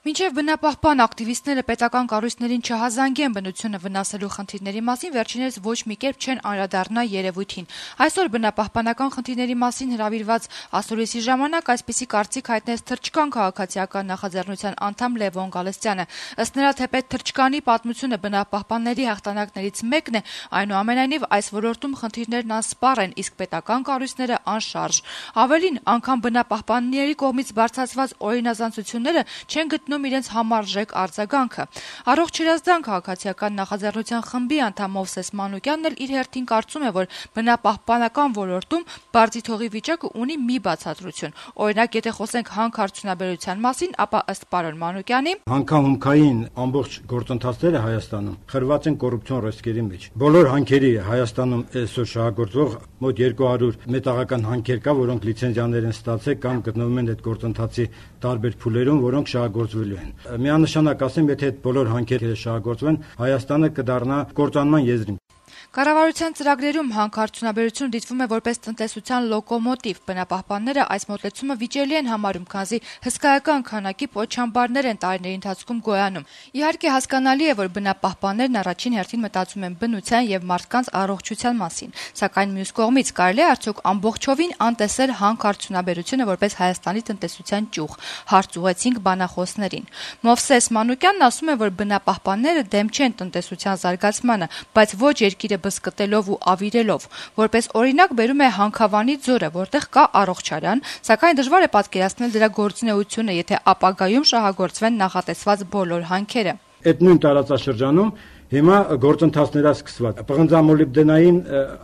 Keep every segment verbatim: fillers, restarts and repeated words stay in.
Մինչև բնապահպան ակտիվիստները պետական կառույցներին չհազանգեն բնությունը վնասելու խնդիրների մասին, վերջիններս ոչ մի կերպ չեն անդրադառնա երևույթին։ Այսօր բնապահպանական խնդիրների մասին հրավիրված ասուլիսի ժամանակ այսպիսի կարծիք հայտնեց Թրջկան քաղաքացիական նախաձեռնության անդամ Լևոն Գալստյանը։ Ըստ նրա, թեպետ Թրջկանի պատմությունը բնապահպանների հաղթանակներից մեկն է, այնուամենայնիվ այս ոլորտում խնդիրներն անսպառ են, իսկ պետական կառույցները անշարժ։ Ավելին, անգամ բնապահպանների կողմից բարձրացված օրինազանցությունները չեն գտնում իրենց համարժեք արձագանքը։ Առողջ Երազդան քաղաքացիական նախաձեռնության խմբի անդամ Մովսես Մանուկյանն էլ իր հերթին կարծում է, որ բնապահպանական ոլորտում բարձի թողի վիճակը ունի մի բացատրություն։ Օրինակ, եթե խոսենք հանքարդյունաբերության մասին, ապա ըստ պարոն Մանուկյանի, հանքահումքային ամբողջ գործընթացները Հայաստանում խրված են կոռուպցիոն ռիսկերի մեջ։ Բոլոր հանքերի Հայաստանում այսօր շահագործող մոտ երկու հարյուր մետաղական հանքեր կա, որոնք լիցենզիաներ են ստացել կամ գտնվում են այդ գործընթացի տարբեր փուլերում, որոնք շահագործվելու են։ Միանշանակ ասեմ, եթե այդ բոլոր հանքերը շահագործվեն, Հայաստանը կդառնա կործանման եզրին։ Կառավարության ծրագրերում հանքարդյունաբերությունը դիտվում է որպես տնտեսության լոկոմոտիվ։ Բնապահպանները այս մոտեցումը վիճելի են համարում, քանզի հսկայական քանակի պոչամբարներ են տարիների ընթացքում գոյանում։ Իհարկե, հասկանալի է, որ բնապահպաններն առաջին հերթին մտածում են բնության եւ մարդկանց առողջության մասին, սակայն մյուս կողմից կարելի է արդյոք ամբողջովին անտեսել հանքարդյունաբերությունը որպես Հայաստանի տնտեսության ճյուղ։ Հարց ուղեցինք բանախոսներին։ Մովսես Մանուկյանն ասում է, որ բնապահպանները դեմ չեն տնտեսության զարգացմանը, բայց ոչ երկիրը բզկտելով ու ավիրելով։ Որպես օրինակ բերում է Հանքավանի ձորը, որտեղ կա առողջարան, սակայն դժվար է պատկերացնել դրա գործունեությունը, եթե ապագայում շահագործվեն նախատեսված բոլոր հանքերը։ Այդ նույն տարածաշրջանում հիմա գործընթացներ է սկսված։ Պղնձամոլիբդենային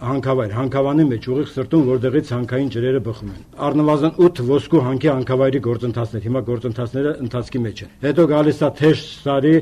հանքավայր, հանքավանի մեջ ուղիղ սրտում, որտեղից հանքային ջրերը բխում են։ Առնվազն ութ ոսկու հանքի հանքավայրի գործընթացներ, հիմա գործընթացները ընթացքի մեջ են։ Հետո գալիս է թեժ սարի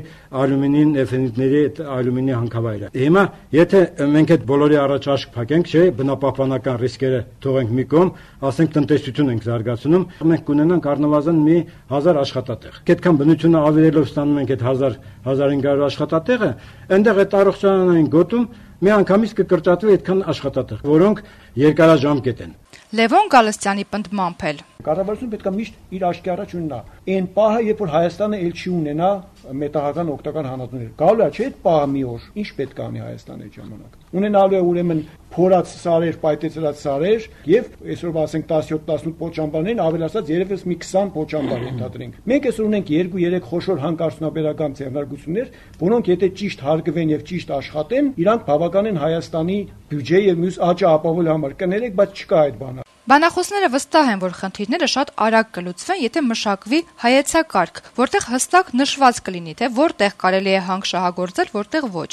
ալյումինի նեֆենիտների ալյումինի հանքավայրը։ Հիմա եթե մենք այդ բոլորի առաջ աշկ փակենք, չէ, բնապահպանական ռիսկերը թողենք մի կողմ, ասենք տնտեսություն ենք զարգացնում, մենք կունենանք առնվազն մի հազար աշխատատեղ։ Այդքան բնությունը ավիրելով ստանում ենք այդ հազար հազար հինգ հարյուր աշխատատեղը, այնտեղ այդ առողջարանային գոտում մի անգամից կկրճատվի այդքան աշխատատեղ, որոնք երկարաժամկետ են։ Լևոն Գալստյանի պնդմամբ էլ կառավարությունը պետք է միշտ իր աչքի առաջ ունենա այն պահը, երբ որ Հայաստանը ել չի ունենա մետաղական օգտական հանածություններ։ Գալու է, չէ՞, այդ պահը մի օր, ինչ պետք է անի Հայաստանը այդ ժամանակ։ Ունենալու է ուրեմն փորած սարեր, պայթեցրած սարեր եւ այսօր ասենք տասնյոթ տասնութ պոչամբարներին ավելացած երևս մի քսան պոչամբար ենթադրենք։ Մենք այսօր ունենք երկու երեք խոշոր հանքարդյունաբերական ձեռնարկություններ, որոնք եթե ճիշտ հարգվեն եւ ճիշտ աշխատեն, իրանք բավական են Հայաստանի բյուջե եւ մյուս աճը ապահովելու համար։ Կներեք, բայց չկա այդ բանը։ Բանախոսները վստահ են, որ խնդիրները շատ արագ կլուծվեն, եթե մշակվի հայեցակարգ, որտեղ հստակ նշված կլինի, թե որտեղ կարելի է հանք շահագործել, որտեղ ոչ։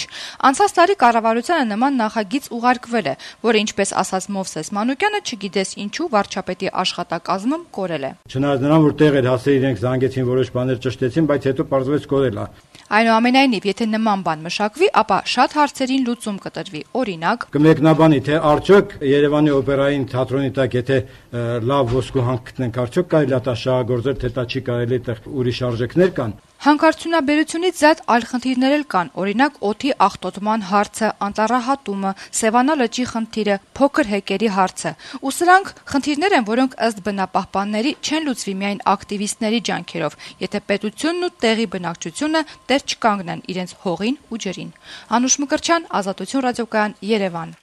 Անցած տարի կառավարությանը նման նախագիծ ուղարկվել է, որը, ինչպես ասաց Մովսես Մանուկյանը, չգիտես ինչու վարչապետի աշխատակազմում կորել է։ Չնայած նրան, որ տեղ էր հասել, իրենք զանգեցին, որոշ բաներ ճշտեցին, բայց հետո պարզվեց կորել է։ Այնուամենայնիվ, եթե նման բան մշակվի, ապա շատ հարցերին լուծում կտրվի։ Օրինակ, կմեկնաբանի, թե արդյոք Երևանի օպերային թատրոնի տակ եթե լավ ոսկու հանք գտնենք, արդյոք կարելի է դա շահագործել, թե դա չի կարելի, այդտեղ ուրիշ արժեքներ կան։ Հանքարդյունաբերությունից զատ այլ խնդիրներ էլ կան, օրինակ օդի աղտոտման հարցը, անտառահատումը, Սևանա լճի խնդիրը, փոքր հեկերի հարցը։ Ու սրանք խնդիրներ են, որոնք ըստ բնապահպանների չեն լուծվի միայն ակտիվիստների ջանքերով, եթե պետությունն ու տեղի բնակչությունը տեր չկանգնեն իրենց հողին ու ջրին։ Անուշ Մկրտչյան, Ազատություն ռադիոկայան, Երևան։